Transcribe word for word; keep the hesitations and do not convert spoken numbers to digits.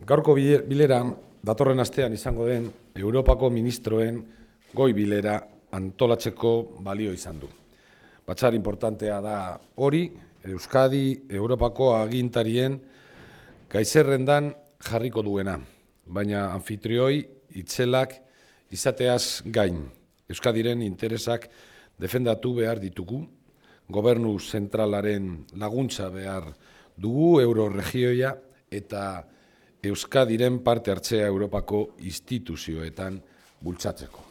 Gaurko bilera datorren astean izango den Europako ministroen goi bilera antolatzeko balio izan du. Batzar importantea da hori, Euskadi Europako agintarien gaizerrendan jarriko duena, baina anfitrioi itzelak izateaz gain. Euskadiren interesak defendatu behar ditugu, gobernu zentralaren laguntza behar dugu euroregioia eta Euskadiren parte hartzea Europako instituzioetan bultzatzeko.